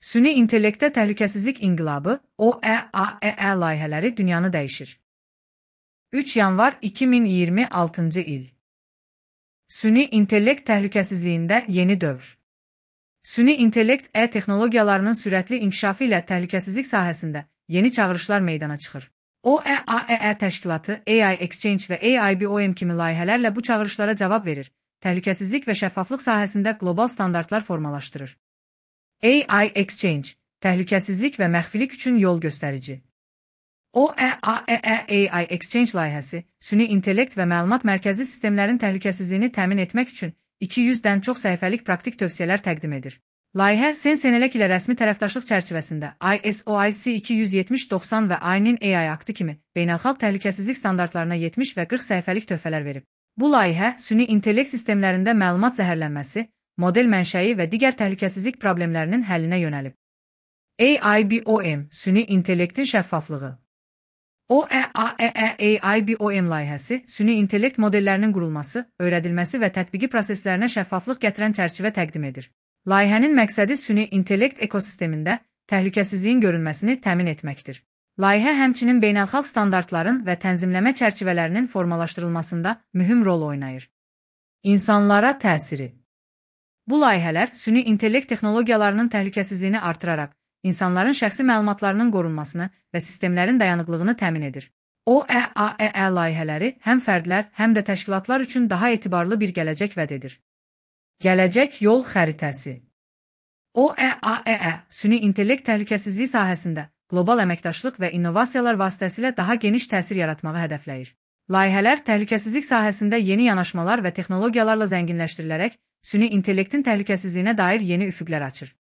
Süni intellektdə təhlükəsizlik inqilabı OEAEE layihələri dünyanı dəyişir. 3 yanvar 2026-cı il. Süni intellekt təhlükəsizliyində yeni dövr. Süni intellekt texnologiyalarının sürətli inkişafı ilə təhlükəsizlik sahəsində yeni çağırışlar meydana çıxır. OEAEE təşkilatı AI Exchange və AIBOM kimi layihələrlə bu çağırışlara cavab verir, təhlükəsizlik və şəffaflıq sahəsində qlobal standartlar formalaşdırır. AI Exchange, təhlükəsizlik və məxfilik üçün yol göstərici. OEAEE AI Exchange layihəsi, süni intellekt və məlumat mərkəzli sistemlərin təhlükəsizliyini təmin etmək üçün 200-dən çox səhifəlik praktik tövsiyələr təqdim edir. Layihə Sensenelec ilə rəsmi tərəfdaşlıq çərçivəsində ISO IC 270-90 və AININ AI aktı kimi beynəlxalq təhlükəsizlik standartlarına 70 və 40 səhifəlik töhfələr verib. Bu layihə süni intellekt sistemlərində məlumat zəhərlənməsi, model mənşəyi və digər təhlükəsizlik problemlərinin həllinə yönəlib. AIBOM, süni intellektin şəffaflığı. OEAEE AIBOM layihəsi, süni intellekt modellərinin qurulması, öyrədilməsi və tətbiqi proseslərinə şəffaflıq gətirən çərçivə təqdim edir. Layihənin məqsədi süni intellekt ekosistemində təhlükəsizliyin görünməsini təmin etməkdir. Layihə həmçinin beynəlxalq standartların və tənzimləmə çərçivələrinin formalaşdırılmasında mühüm rol oynayır. İnsanlara təsiri. Bu layihələr süni intellekt texnologiyalarının təhlükəsizliyini artıraraq, insanların şəxsi məlumatlarının qorunmasını və sistemlərin dayanıqlığını təmin edir. OEAEE layihələri həm fərdlər, həm də təşkilatlar üçün daha etibarlı bir gələcək vəd edir. Gələcək yol xəritəsi. OEAEE, süni intellekt təhlükəsizliyi sahəsində qlobal əməkdaşlıq və innovasiyalar vasitəsilə daha geniş təsir yaratmağı hədəfləyir. Layihələr təhlükəsizlik sahəsində yeni yanaşmalar və texnologiyalarla zənginləşdirilərək, süni intellektin təhlükəsizliyinə dair yeni üfüqlər açır.